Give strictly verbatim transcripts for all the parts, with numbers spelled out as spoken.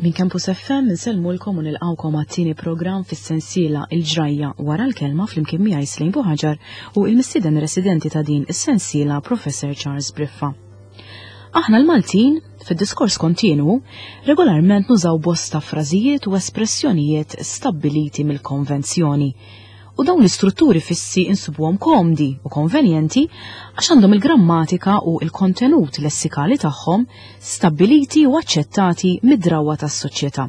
Minn Campus F M insellmulkom u nilqawkom għat-tieni programm fis-sensiela Il-Ġrajja wara l-kelma flimkien miegħi Slejn Buħaġar u il-mistieden residenti ta' din is-sensiela Professor Charles Briffa. Aħna l-Maltin, fid-diskors kontinwu, regolarment nużaw bosta frażijiet u espressjonijiet stabbiliti mill-konvenzjoni. U dawn l-istrutturi fissi insibuhom komdi u konvenjenti għax għandhom il-grammatika u il-kontenut lessikali tagħhom stabbiliti u aċċettati mid-drawwa tas-soċjetà.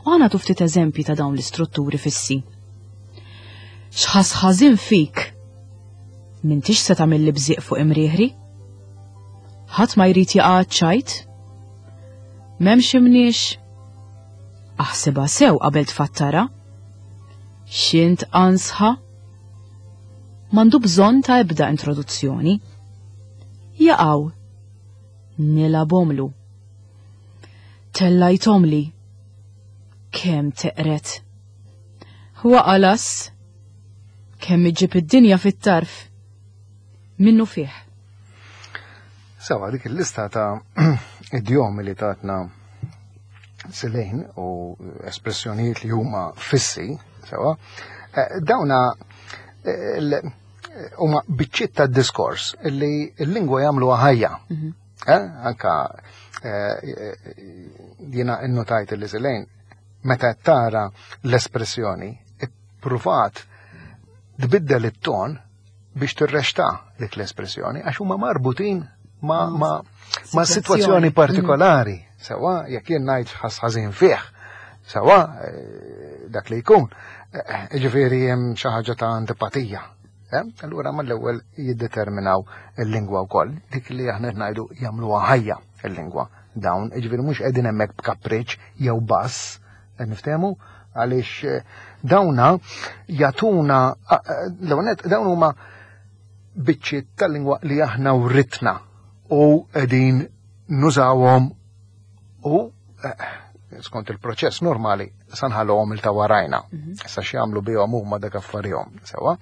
U ħa nagħtu ftit eżempji ta' dawn l-istrutturi fissi. X'ħas ħażin fik? M'intix se tagħmel li bżieq fuq imrieħri? Ħadd ma jrid jaqa' ċajt? M'hemmx imniex? Aħsibha sew qabel tfattara? X'int ansħa? M'għandu bżonn ta' ebda introduzzjoni. Jaqaw. Nilabomlu. Tellajtomli. Kemm teqret. Waqalas. Kemm iġib id-dinja fit-tarf. Minnu fih. Sawa, dik il-lista ta' idjomi li tatna Silejn u espressjonijiet li huma fissi, sawa, eh, dawna, eh, l-, huma biċċiet ta' diskors li l-lingwa jagħmlu ħajja. Mhm. Eh, anka, eh, jiena innotajt li Silejn meta tara l-espressjoni ippruvat tbiddel it-ton biex tirrexta dik l-espressjoni għax huma marbutin ma, Mm. ma, ma Situazzjoni. situazzjoni partikolari. Sawa, jekk jien ngħid ħas ħażin fih, sawa, eh, dak li jkun, eh, ġifieri hemm xi ħaġa ta' antipatija. Eh? Allura mal-ewwel jiddeterminaw il-lingwa wkoll, dik li aħna qed ngħidu jagħmluha ħajja il-lingwa. Dawn, ġifieri mhux qegħdin hemmhekk b'kapriċ jew bass, qed niftehmu, għaliex, eh, dawna jagħtuna, eh, eh, l-ewwel nett, dawn huma biċċiet tal-lingwa li aħna writna u qegħdin nużawhom u, eh, skont il-proċess normali sanħalhom il ta' warajna. Mhm. Issa x'jagħmlu bihom huma dak affarihom, sewwa.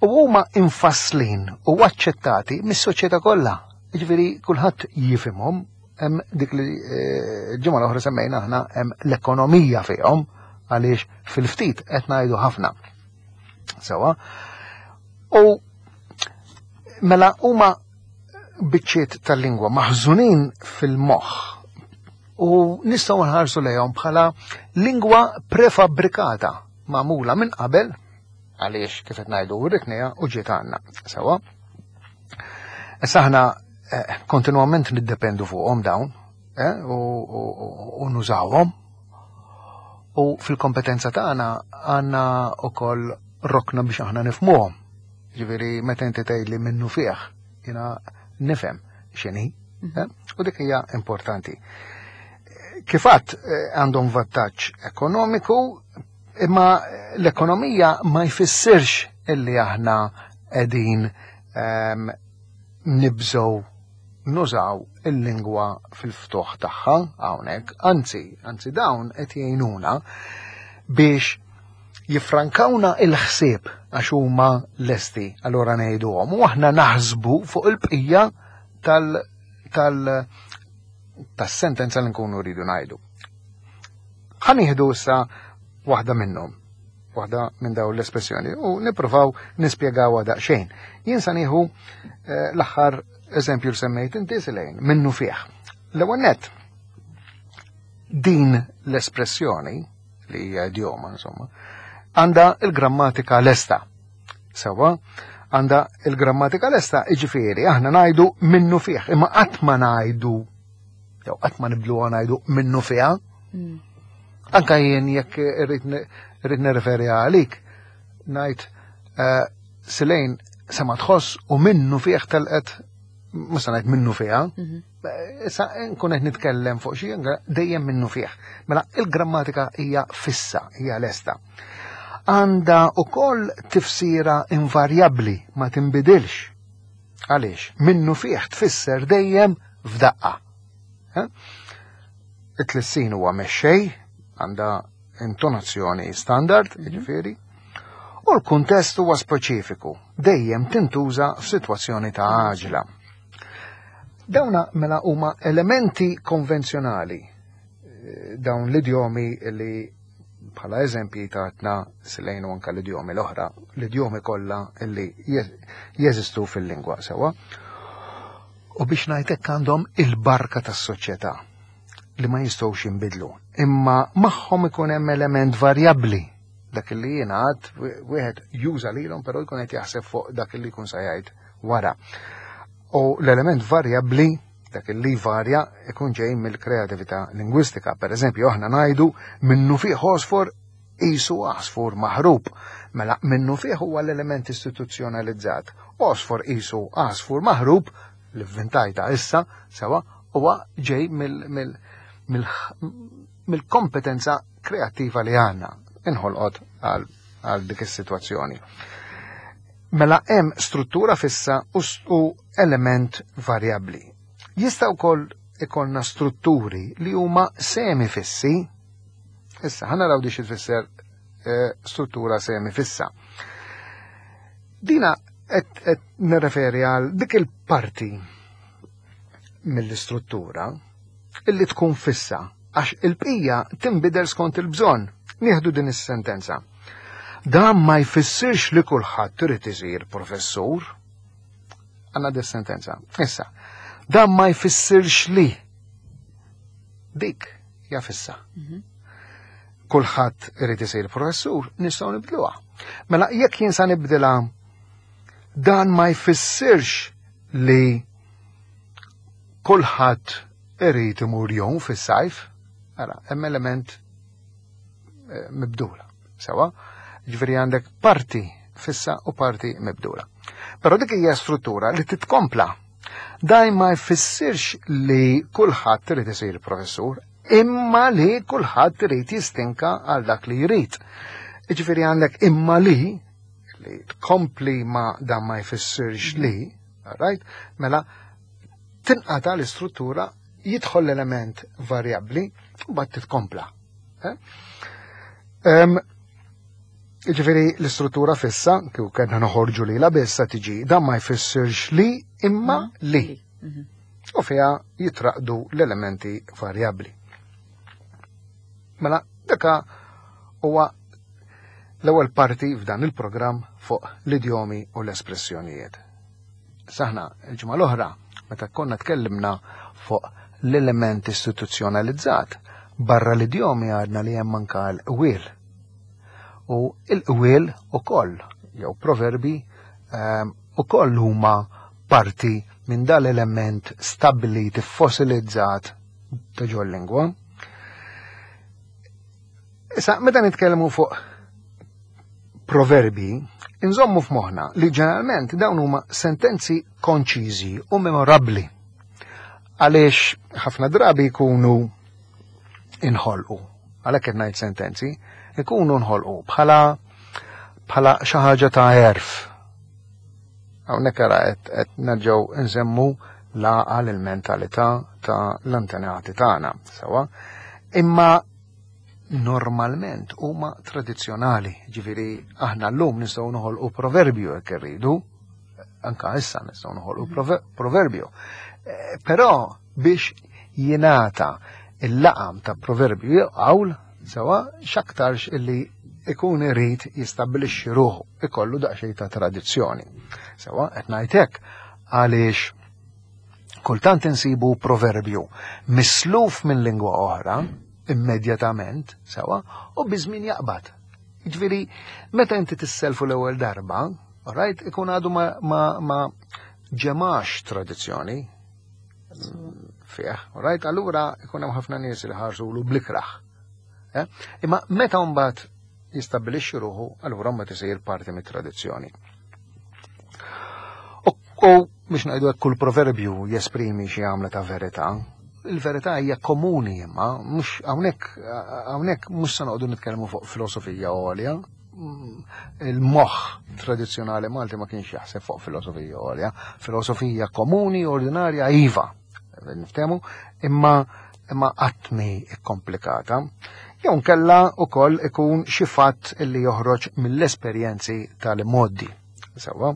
U huma infasslin u aċċettati mis-soċjetà kollha. Jiġifieri kulħadd jifhimhom, hemm dik li, eh, ġimgħa l-oħra semmejna aħna hemm l-ekonomija fihom għaliex fil-ftit qed ngħidu ħafna. Sewwa. U mela huma biċċiet tal-lingwa maħżunin fil-moħħ u nistgħu nħarsu lejhom bħala lingwa prefabbrikata magħmula minn qabel għaliex kif qed ngħidu writniha u ġiet għandna. Sewwa. Issa aħna, eh, kontinwament niddependu fuqhom dawn, eh, u, u, u, u nużawhom. U fil-kompetenza tagħna għandna wkoll rokna biex aħna nifhmuhom. Ġifieri meta inti tgħidli minnu fih, jiena nifhem x'inhi, Mhm. eh, u dik hija importanti. Kif għadt, eh, għandhom vantaġġ ekonomiku, imma l-ekonomija ma jfissirx illi aħna qegħdin, ehm, nibżgħu nużaw il-lingwa fil-ftuħ tagħha hawnhekk, anzi, anzi dawn qed jgħinuna biex jifrankawna il-ħsieb għax huma lesti, allura ngħiduhom, u aħna naħsbu fuq il-bqija tal-, tal-, tas-sentenza li nkunu rridu ngħidu. Ħa nieħdu issa waħda minnhom, waħda minn dawn l-espressjoni u nippruvaw nispjegawha daqsxejn. Jien sa nieħu, eh, l-aħħar eżempju li semmejt inti Silejn, minnu fih. L-ewwel nett, din l-espressjoni li hija idjoma, insomma, għandha il-grammatika lesta. Sewwa, għandha il-grammatika lesta, jiġifieri aħna ngħidu minnu fih, imma qatt ma ngħidu, jew qatt ma nibdluha ngħidu minnu fiha. Mm. Anka jien jekk irrid ni-, irrid nirreferi għalik, ngħid, eh, Silejn sema tħoss u minnu fih telqet, ma se ngħid minnu fiha. Mhm. Eh, issa nkun qed nitkellem fuq xi dejjem minnu fih. Mela il-grammatika hija fissa, hija lesta. Għandha ukoll tifsira invarjabbli, ma tinbidilx. Għaliex? Minnu fih tfisser dejjem f'daqqa. Eh? It-tlissin huwa mexxej, għandha intonazzjoni standard, Mhm. jiġifieri, u l-kuntest huwa speċifiku, dejjem tintuża f'sitwazzjoni ta' għaġla. Dawna mela huma elementi konvenzjonali dawn l-idjomi li bħala eżempji tatna Silejn u anka l-idjomi l-oħra, l-idjomi kollha li jeżistu fil-lingwa sewwa. U biex ngħidlek għandhom il-barka tas-soċjetà li ma jistgħux jinbidlu. Imma magħhom ikun hemm element varjabbli dak li jingħad wieħed juża lilhom però jkun qed jaħseb fuq dak li jkun se jgħid wara. U l-element varjabbli dak li varja ikun ġej mill-kreatività lingwistika. Per eżempju, aħna ngħidu minnu fih għosfor qisu għasfur maħrub. Mela minnu fih huwa l-element istituzzjonalizzat. Għosfor qisu għasfur maħrub li vvintajta issa sewa huwa ġej mill-kompetenza kreattiva li għandna inħolqot għal dik is-sitwazzjoni. Mela hemm struttura fissa u element varjabbli. Jista' wkoll ikollna strutturi li huma semifissi. Issa ħa naraw di xi tfisser eh, struttura semifissa. Dina qed nirreferi għal dik il-parti mill-istruttura illi tkun fissa għax il-bqija tinbidel skont il-bżonn. Nieħdu din is-sentenza. Dan ma jfissirx li kulħadd irid isir professur. Għandna dis sentenza. Issa, dan ma jfissirx li dik hija fissa. Mhm. Kulħadd irid isir professur, nistgħu nibdluha. Mela jekk jien sa nibdilha dan ma jfissirx li kulħadd irid imur jgħum fis-sajf, ara, hemm element eh, mibdula. Sewa, ġifieri għandek parti fissa u parti mibdula. Però dik hija struttura li titkompla. Daj ma jfissirx li kulħadd irid isir professur, imma li kulħadd irid jistinka għal dak li jrid. Ġifieri għandek imma li li tkompli ma dan ma jfissirx li, right? Mela tinqata l-istruttura, jidħol l-element varjabbli u mbagħad titkompla. Eh? Ġifieri l-istruttura fissa, kieku kellna noħorġu li la bissa tiġi, dan ma jfissirx li imma mhm. li. Mhm. U fiha jitraqdu l-elementi varjabbli. Mela, daka huwa l-ewwel parti f'dan il-programm fuq l-idjomi u l-espressjonijiet. Saħna il-ġimgħa l-oħra meta konna tkellimna fuq l-element istituzzjonalizzat, barra l-idjomi għadna li hemm anka l-qwiel. U l-qwiel ukoll jew proverbi ehm, ukoll huma parti minn dal-element stabbilit, fossilizzat ta' ġol-lingwa. Issa, meta nitkellmu fuq proverbi, inżommu f'moħħna li ġeneralment dawn huma sentenzi konċiżi u memorabbli. Għaliex ħafna drabi jkunu inħolqu, għalhekk qed ngħid sentenzi, ikunu nħolqu bħala bħala xi ħaġa ta' għerf. Hawnhekk ara qed nerġgħu nsemmu l-għaqal il-mentalità ta' l-antenati tagħna, sewwa. Imma normalment huma tradizzjonali, ġifieri aħna llum nistgħu noħolqu proverbju jekk irridu, anka issa nistgħu noħolqu mhm. proverbju. Eh, però biex jingħata il-laqam ta' proverbju jew qawl, sewa x'aktarx illi ikun irid jistabbilixxi ruħu, ikollu daqsxejn ta' tradizzjoni. Sewa qed ngħid hekk għaliex kultant insibu proverbju misluf minn lingwa oħra immedjatament, sewa, u biż-żmien jaqbad. Jiġifieri, meta inti tisselfu l-ewwel darba, alright, ikun għadu ma, ma, ma ġemax tradizzjoni fih, alright, allura ikun hemm ħafna nies li ħarsulu blikraħ. Eh? Imma meta mbagħad jistabbilixxi ruħu, allura mbagħad isir parti mit-tradizzjoni. U biex ngħidu hekk kull proverbju jesprimi xi għamla ta' verità, il-verità hija komuni imma mhux hawnhekk hawnhekk mhux se noqogħdu nitkellmu fuq filosofija għolja. Il-moħħ tradizzjonali Malti ma kienx jaħseb fuq filosofija għolja, filosofija komuni ordinarja iva, niftehmu, imma imma qatt mhi ikkomplikata. Jew nkella wkoll ikun xi fatt illi joħroġ mill-esperjenzi tal-modi. Sewwa.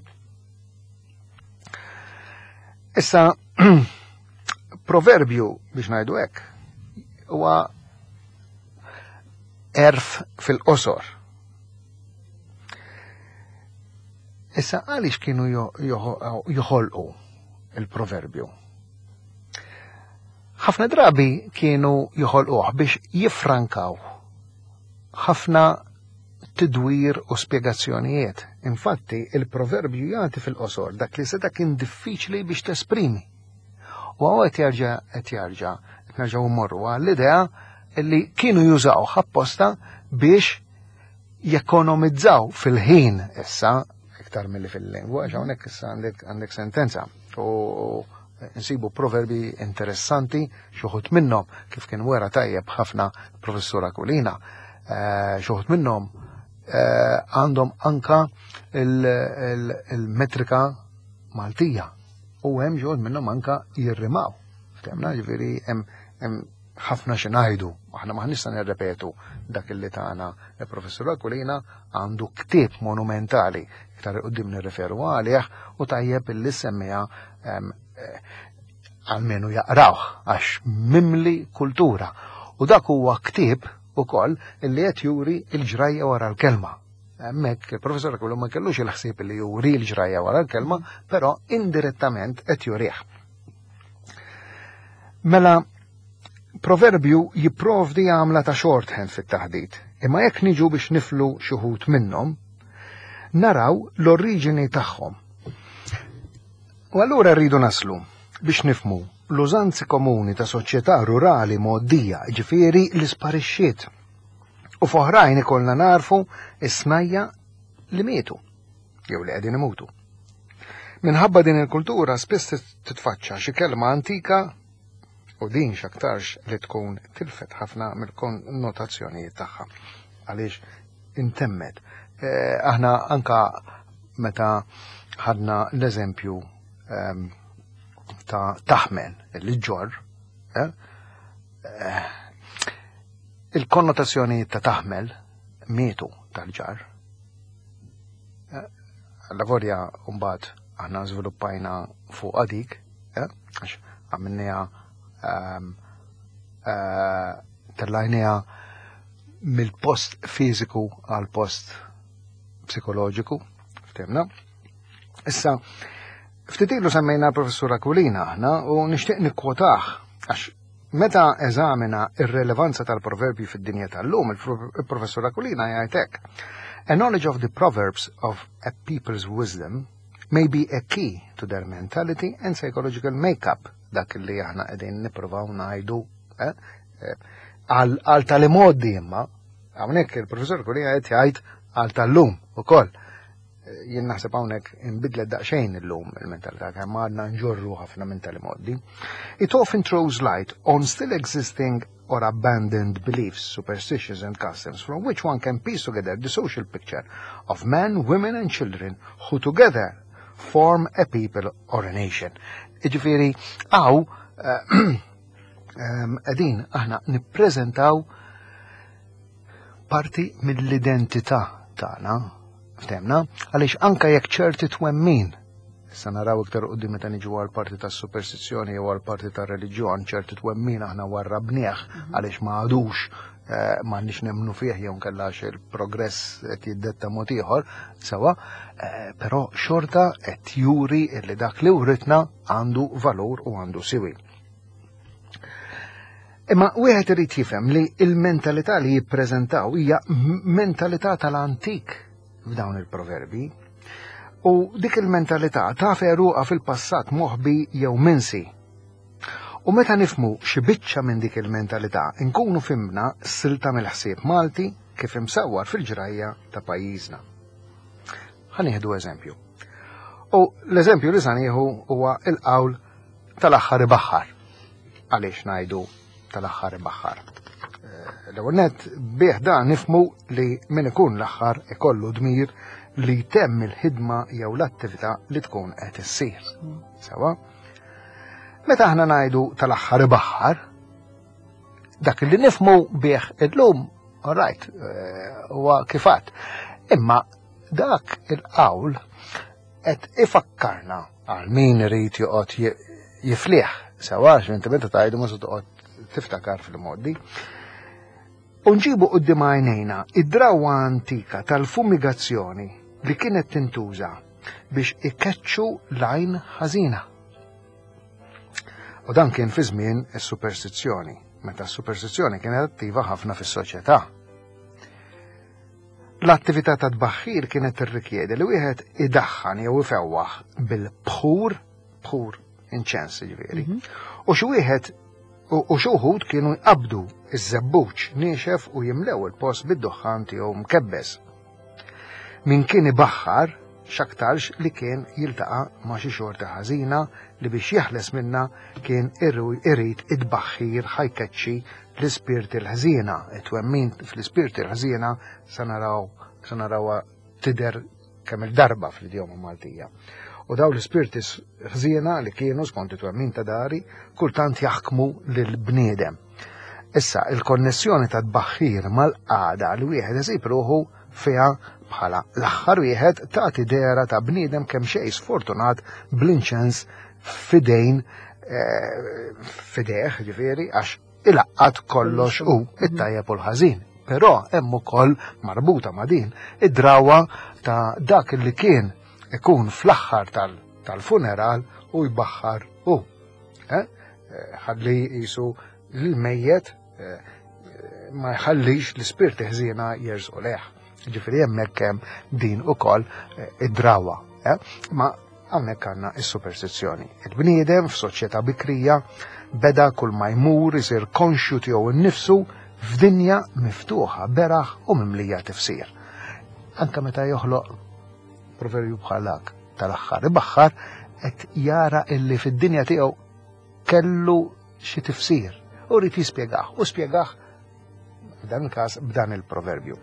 Issa, proverbju biex ngħidu hekk huwa Għerf fil-qosor. Issa għaliex kienu joħolqu il-proverbju? Ħafna drabi kienu joħolquh biex jifrankaw ħafna tidwir u spjegazzjonijiet. Infatti, il-proverbju jagħti fil-qosor dak li seta' kien diffiċli biex tesprimi. U hawn qed jarġa' qed jarġa' qed nerġgħu mmorru għall-idea li kienu jużaw apposta biex jekonomizzaw fil-ħin issa iktar milli fil-lingwa, għax hawnhekk issa għandek għandek sentenza. U nsibu proverbi interessanti, xi wħud minnhom kif kien wera tajjeb ħafna professur Aquilina, eh, xi wħud minnhom eh, għandhom anka il-metrika Maltija u hemm xi wħud minnhom anka jirrimaw. Ftemna, ġifieri hemm ħafna xi ngħidu, aħna ma nista' nirrepetu dak li tagħna il-professur Aquilina. Għandu ktieb monumentali, iktar quddiem nirreferu għalih, u tajjeb illi semmija eh, almenu jaqrawh għax mimli kultura. U dak huwa ktieb ukoll illi qed juri l-ġrajja wara l-kelma. Hemmhekk il-professor Aquilina ma kellux il-ħsieb li juri l-ġrajja wara l-kelma, però indirettament qed jurih. Mela, proverbju jipprovdi għamla ta' shorthand fit-taħdit, imma jekk niġu biex niflu xi wħud minnhom, naraw l-oriġini tagħhom. U allura rridu naslu biex nifmu l-użanzi komuni ta' soċjetà rurali mgħoddija, ġifieri li sparixxiet. U f'oħrajn ikollna narfu is-snajja li mietu, jew li qegħdin imutu. Minħabba din il-kultura spiss titfaċċa xi kelma antika u din x'aktarx li tkun tilfet ħafna mill-konnotazzjonijiet tagħha għaliex intemmet. Eh, aħna anka meta ħadna l-eżempju ehm, ta' taħmel li ġor, eh, eh, il-konnotazzjoni ta' taħmel mietu tal-ġar. La volja mbagħad aħna żviluppajna fuq għadik, għax għamilniha ehm, tellajniha mill-post fiżiku għal post psikoloġiku, ftemna. Issa, ftit ilu semmejna l-professur Aquilina aħna u nixtieq nikkwotah għax meta eżamina ir-relevanza tal-proverbji fid-dinja tal-lum, il-professur Aquilina jgħid hekk: "A knowledge of the proverbs of a people's wisdom may be a key to their mentality and psychological makeup." Dak li aħna qegħdin nippruvaw ngħidu eh, eh, għal tal-imgħoddi, imma hawnhekk il-professur Aquilina qed jgħid għal tal-lum ukoll. Jien naħseb hawnhekk inbidlet daqsxejn illum il-mentalità, kemm għadna nġorru ħafna minn tal-imgħoddi. "It often throws light on still existing or abandoned beliefs, superstitions and customs from which one can piece together the social picture of men, women and children who together form a people or a nation." Iġifieri, hawn qegħdin aħna nippreżentaw parti mill-identità tagħna, ftemna, għaliex anka jekk ċerti twemmin, issa naraw iktar quddiem meta niġu għal parti tas superstizzjoni jew għal parti tar reliġjon, ċerti twemmin aħna warrabnieh għaliex ma għadux eh, m'għandniex nemmnu fih jew nkella il-progress qed jiddetta mod ieħor, sewa, eh, però xorta qed juri li dak li uritna għandu valur u għandu siwi. Imma wieħed irid jifhem li il-mentalità li jippreżentaw hija mentalità tal-antik f'dawn il-proverbi. U dik il-mentalità ta' għeruqha fil-passat moħbi jew minsi. U meta nifmu xi biċċa minn dik il-mentalità, nkunu fhimna silta mill-ħsieb Malti kif imsawwar fil-ġrajja ta' pajjiżna. Ħa nieħdu eżempju. U l-eżempju li sa nieħu huwa il-qawl "tal-aħħar ibaħħar". Għaliex ngħidu "tal-aħħar ibaħħar"? Eh, l-ewwel nett bih da nifmu li min ikun l-aħħar ikollu dmir li jtemm il-ħidma jew l-attività li tkun qed issir. Sewa? Meta aħna ngħidu "tal-aħħar ibaħħar", dak li nifmu bih illum, all right, eh, huwa kif għedt. Imma dak il-qawl qed ifakkarna għal min irid joqgħod jifliħ, sewa, inti meta tgħidu ma se toqgħod tiftakar fil-modi. U nġibu quddiem għajnejna id-drawwa antika tal-fumigazzjoni li kienet tintuża biex ikeċċu l-għajn ħażina. U dan kien fi żmien is-superstizzjoni, meta s-superstizzjoni kienet attiva ħafna fis-soċjetà. L-attività ta' tbaħħir kienet tirrikjedi li wieħed idaħħan jew ifewwaħ bil-bħur, bħur inċens ġifieri, u xi wieħed u xi wħud kienu jqabdu iż-żebbuġ niexef u jimlew il-post bid-duħħan tiegħu mkebbes. Min kien ibaħħar x'aktarx li kien jiltaqa' ma' xi xorta ħażina li biex jeħles minna kien irid id-baħħir ħajkeċċi l-ispirti l-ħżiena. It-twemmin fl-ispirti l-ħżiena sa naraw sa narawha tidher kemm il-darba fl-idjoma Maltija. U daw l-ispirti ħżiena li kienu skont it-twemmin ta' dari kultant jaħkmu lil-bniedem. Issa, il-konnessjoni ta' tbaħħir mal-qagħda li wieħed isib ruħu fiha bħala l-aħħar wieħed tagħti dehra ta' bniedem kemm xejn sfortunat bl-inċens fidejn fideh, ġifieri, għax ilaqqat kollox u it-tajjeb u l-ħażin. Però hemm ukoll marbuta ma' din id-drawa ta' dak li kien ikun fl-aħħar tal-funeral u jbaħħar hu. Ħalli jisu l-mejjet ma jħallix l-ispirti ħżiena jerżqu lejh. Ġifieri hemmhekk hemm din ukoll id-drawa. Ma hawnhekk għandna is-superstizzjoni. Il-bniedem f'soċjetà bikrija beda kull ma jmur isir konxju tiegħu nnifsu f'dinja miftuħa beraħ u mimlija tifsir. Anka meta joħloq proverbju bħal dak tal-aħħar ibaħħar qed jara illi fid-dinja tiegħu kellu xi tifsir u rrid jispjegah u spjegah f'dan il-każ b'dan il-proverbju.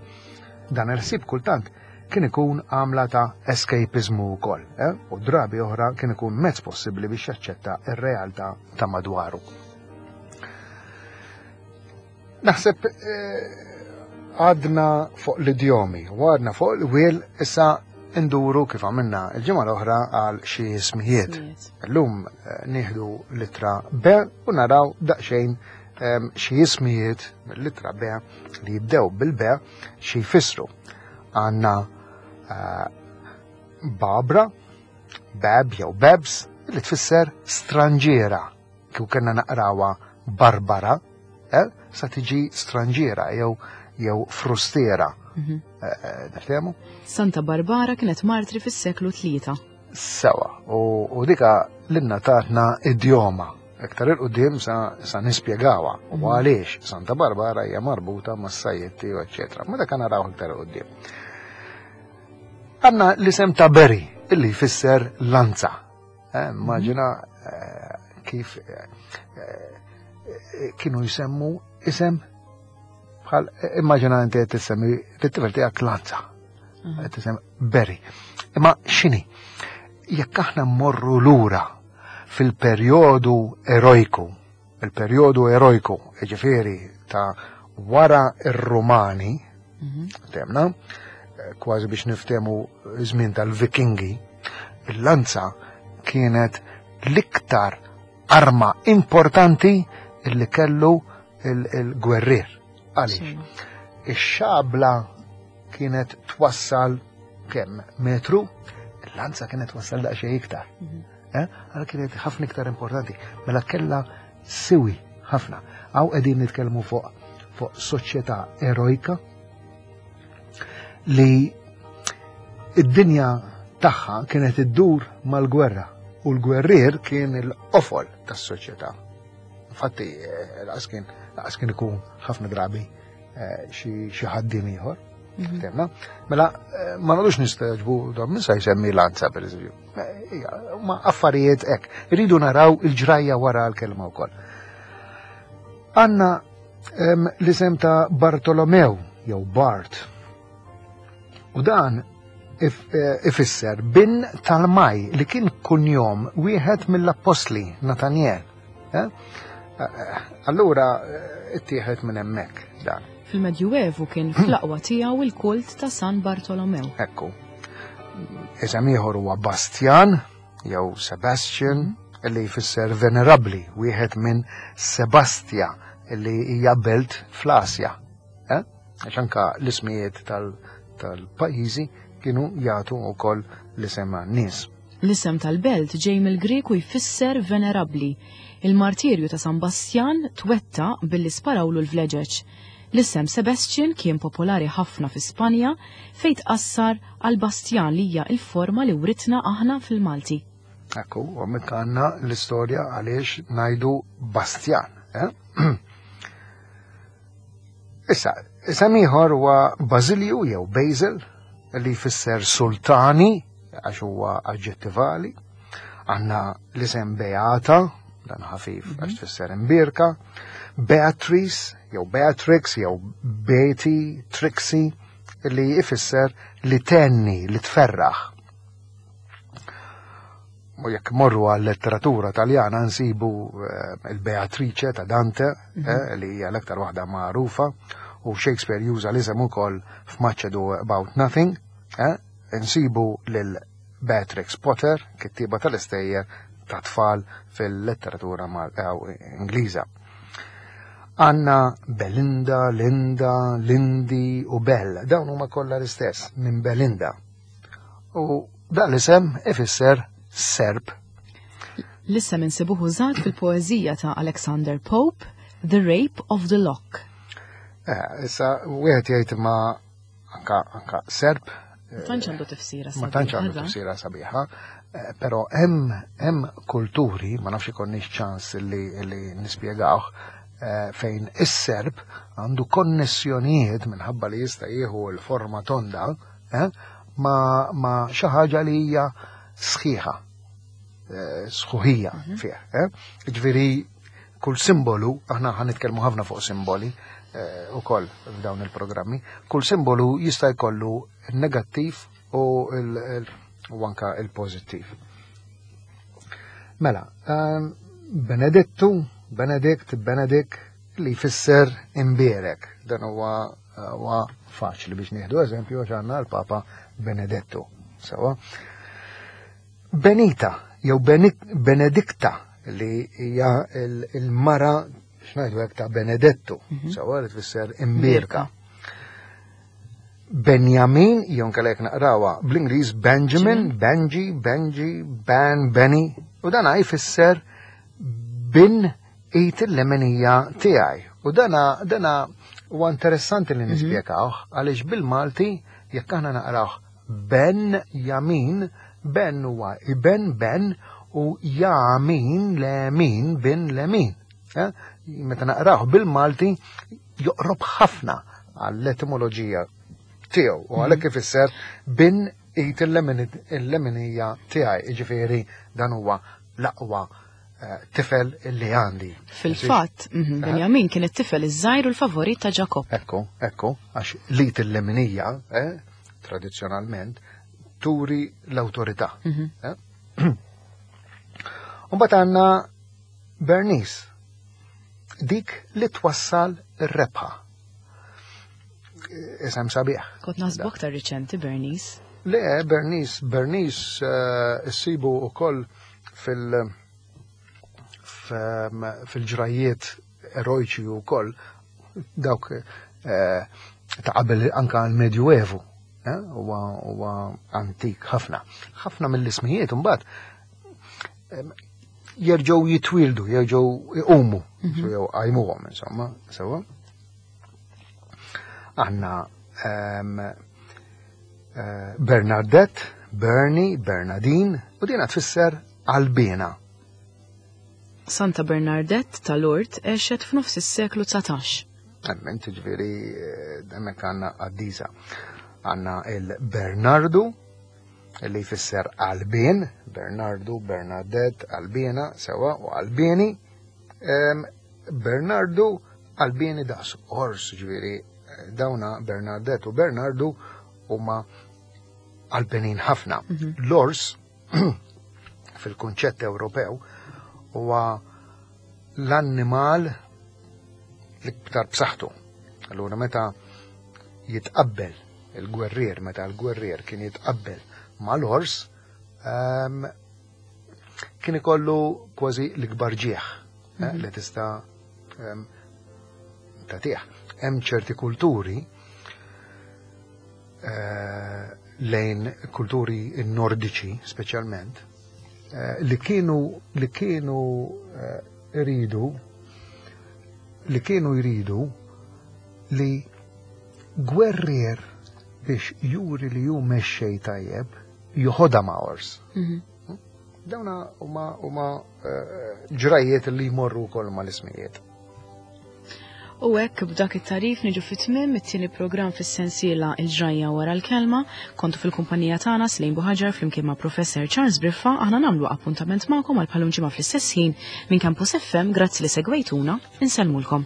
Dan il-ħsieb kultant kien ikun għamla ta' escapismu wkoll, eh? U drabi oħra kien ikun mezz possibbli biex jaċċetta r-realtà ta' madwaru. Naħseb għadna fuq l-idjomi, u għadna fuq l-wiel, issa nduru kif għamilna il-ġimgħa l-oħra għal xi ismijiet. Illum nieħdu l-ittra B u naraw daqsxejn xi ismijiet mill-ittra B li jibdew bil-B xi jfissru. Għandna Barbara, Bab jew Babs, li tfisser stranġiera. Kieku kellna naqrawha Barbara, eh, sa tiġi stranġiera jew jew frustiera. Niftehmu? Santa Barbara kienet martri fis-seklu tlieta. Sewa, u, u dika l-inna tatna idjoma. Iktar il-qudiem sa, sa nispjegawa u għaliex Santa Barbara hija marbuta mas-sajjetti u eċċetera. Ma dak naraw iktar il-qudiem. Għandna l-isem ta' Berry, illi jfisser lanza. Eh, immaġina eh, kif eh, kienu jsemmu isem bħal, immaġina inti qed tissemmi lit-tifel tiegħek lanza. Qed tisemmi Berry. Imma x'inhi? Jekk aħna mmorru lura fil-perjodu erojku, il-perjodu erojku, jiġifieri ta' wara ir-Rumani, temna, kważi biex niftehmu żmien tal-Vikingi, il-lanza kienet l-iktar arma importanti illi kellu il-gwerrier. Għaliex? Ix-xabla kienet twassal kemm metru, il-lanza kienet twassal daqsxejn iktar. Għal kienet ħafna iktar importanti, mela kellha siwi ħafna. Hawn qegħdin nitkellmu fuq fuq soċjetà erojka li id-dinja tagħha kienet iddur mal-gwerra u l-gwerrier kien il-qofol tas-soċjetà. Infatti, laqas kien laqas kien ikun ħafna drabi xi ħaddiem ieħor. Temna? Mela, ma nagħdux nistagħġbu dan min sa jsemmi lanza pereżempju. Ma affarijiet hekk. Irridu naraw il-ġrajja wara l-kelma wkoll. Għandna l-isem ta' Bartolomew jew Bart. U dan ifisser bin tal-maj li kien kunjom wieħed mill-appostli Natanjel. Allura ittieħed minn hemmhekk dan. Fil-Medjuevu kien fl-aqwa tiegħu il-kult ta' San Bartolomew. Ekku. Isem ieħor huwa Bastian jew Sebastian illi jfisser venerabbli, wieħed minn Sebastia illi hija belt fl-Asja. Eh? Għax anka l-ismijiet tal-pajjiżi kienu jagħtu wkoll l-isem għan-nies. L-isem tal-belt ġej mill-Grek u jfisser venerabbli. Il-martirju ta' San Bastjan twetta billi sparawlu l-vleġeġ. L-isem Sebastian kien popolari ħafna fi Spanja fejn tqassar għal Bastjan li hija il-forma li writna aħna fil-Malti. Ekku, u hemmhekk għandna l-istorja għaliex ngħidu Bastjan. Eh? Issa, isem ieħor huwa Basilju jew Basil li jfisser sultani għax huwa aġġettivali. Għandna l-isem Beata, dan ħafif għax tfisser imbierka, Beatrice jew Beatrix jew Betty, Trixie li jfisser li tenni, li tferraħ. U jekk morru għal letteratura taljana nsibu eh, il-Beatrice ta' Dante, eh, li hija l-aktar waħda magħrufa, u Shakespeare juża l-isem ukoll f'Much Ado About Nothing, eh, nsibu lil Beatrix Potter, kittiba tal-istejjer ta' tfal fil-letteratura Ingliża. Għanna Belinda, Linda, Lindy u Bell. Dawn huma kollha l-istess minn Belinda. U dan l-isem ifisser serp. L-isem insibuh użat fil-poeżija ta' Alexander Pope, The Rape of the Lock. Eh, issa, wieħed jgħid ma anka, anka serp. Ma tantx għandu tifsira Ma tantx għandu tifsira sabiħa, eh, però hemm hemm kulturi, ma nafx ikonniex ċans li, li nispjegawh, eh, fejn is-serp għandu konnessjonijiet minħabba li jista' jieħu l-forma tonda eh, ma, ma xi ħaġa li hija sħiħa, eh, sħuħija mhm. fih. Eh? Ġifieri kull simbolu, aħna ħa nitkellmu ħafna fuq simboli eh, ukoll f'dawn il-programmi, kull simbolu jista' jkollu negattiv u, u anka il-pożittiv. Mela, ehm, Benedettu, Benedict, Benedict, li jfisser imbierek. Dan huwa huwa faċli biex nieħdu eżempju għax għandna l-Papa Benedettu. Sewa. Benita jew Benedikta li hija il-mara x'ngħidu hekk ta' Benedettu, mhm. sewa li tfisser imbierka. Benjamin, jew nkella jekk naqrawha bl-Ingliż Benjamin, Benji, Benji, Ben, Benny, u dan jfisser bin id il-leminija tiegħi. U dana dana huwa interessanti li mhm. nispjegawh għaliex bil-Malti jekk aħna naqrawh Ben Jamin, Ben huwa iben Ben u Jamin Lemin bin Lemin. Eh? Meta naqrawh bil-Malti joqrob ħafna għall-etimoloġija tiegħu u għalhekk mhm. ifisser bin id il-leminija tiegħi, jiġifieri dan huwa l-aqwa eh, tifel li għandi. Fil-fatt, mhm, eh? Benjamin kien it-tifel iż-żgħir u l-favorit ta' Ġakob. Ekku, ekku, għax l-id il-leminija, eh, tradizzjonalment, turi l-awtorità. Mhm. Umbagħad għandna Bernice, dik li twassal ir-rebħa. Isem sabiħ. Kont naħsbu aktar riċenti Bernice. Le, Bernice, Bernice uh, issibu ukoll fil- fil-ġrajiet eroiċi u koll dawk eh, ta' qabel anka l-Medjuevu eh, huwa antik ħafna. Ħafna mill-ismijiet mbagħad jerġgħu jitwildu, jerġgħu iqumu, mhm. jew qajmuhom insomma, sewa. Għandna eh, Bernadette, Bernie, Bernadine, u dina tfisser qalbiena. Santa Bernadette ta' Lourdes għexet f'nofs is-seklu dsatax. Emmen, ġifieri, hemmhekk għandna qaddisa. Għandna il-Bernardu, li jfisser qalbien, Bernardu, Bernadette, qalbiena, sewa, u qalbieni. Bernardu, qalbieni daqs ors, ġifieri, dawna Bernadette u Bernardu huma qalbenin ħafna. Mhm. L-ors, fil-kunċett Ewropew, huwa l-annimal l-iktar b'saħħtu. Allura meta jitqabbel il-gwerrier, meta l-gwerrier kien jitqabbel mal-ors, um, kien ikollu kważi l-ikbar ġieħ mm -hmm. li tista' um, tagħtih. Hemm ċerti kulturi eh, lejn kulturi nordiċi speċjalment, eh, li kienu li kienu eh, iridu li kienu jridu li gwerrier biex juri li ju mexxej tajjeb joħodha ma' ors. Mhm. Dawna huma huma eh, ġrajiet li jmorru wkoll mal-ismijiet. U hekk b'dak it-tarif niġu fit-tmiem it-tieni programm fis-sensiela Il-Ġrajja Wara l-Kelma. Kontu fil-kumpanija tagħna Slejn Buħaġar flimkien ma' Professor Charles Briffa. Aħna nagħmlu appuntament magħkom għal bħal ġimgħa fl-istess ħin minn Campus F M. Grazzi li segwejtuna, insellmulkom.